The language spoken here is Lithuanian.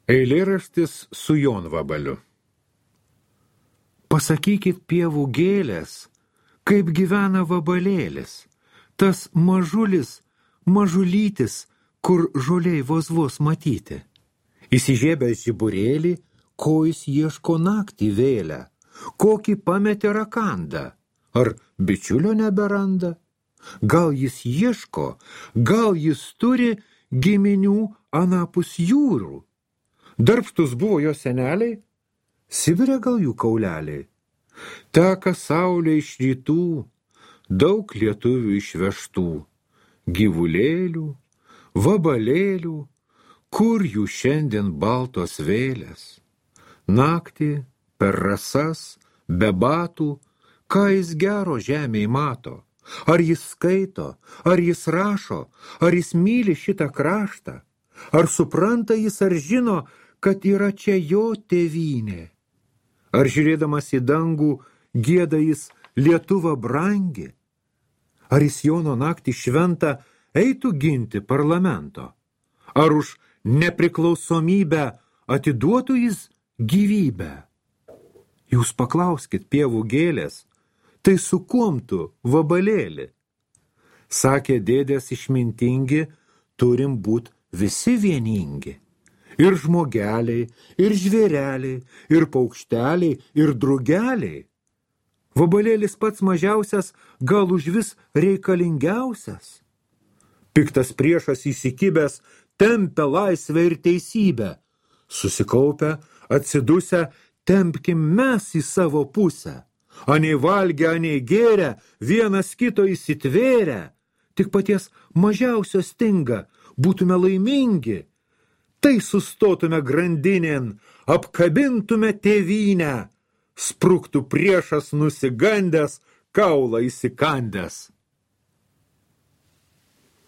Eilėraštis su Jonvabaliu. Pasakykit pievų gėlės, kaip gyvena vabalėlis, tas mažulis, mažulytis, kur žoliai vos matyti. Įsižiebęs žiburėlį, ko jis ieško naktį vėlę, kokį pametė rakandą, ar bičiulio neberanda. Gal jis ieško, gal jis turi giminių anapus jūrų. Darbštus buvo jo seneliai, Sibire gal jų kauleliai. Teka saulė iš rytų, daug lietuvių išvežtų, gyvulėlių, vabalėlių, kur jų šiandien baltos vėlės. Naktį, per rasas, be batų, ką jis gero žemėj mato. Ar jis skaito, ar jis rašo, ar jis myli šitą kraštą, ar supranta jis, ar žino, kad yra čia jo tėvynė. Ar žiūrėdamas į dangų gieda jis Lietuva brangi, ar jis Jono naktį šventą eitų ginti parlamento, ar už nepriklausomybę atiduotų jis gyvybę. Jūs paklauskit pievų gėlės, tai su kuom tu, vabalėli? Sakė dėdės išmintingi, turim būt visi vieningi. Ir žmogeliai, ir žvėreliai, ir paukšteliai, ir drugeliai. Vabalėlis pats mažiausias, gal užvis reikalingiausias. Piktas priešas įsikibęs tempia laisvę ir teisybę. Susikaupę, atsidusę, tempkim mes į savo pusę. Anei valgę, anei gėrę, vienas kito įsitvėrę. Tik paties mažiausio stinga, būtume laimingi. Tai sustotume grandinėn, apkabintume tėvynę, spruktų priešas nusigandęs, kaulą įsikandęs.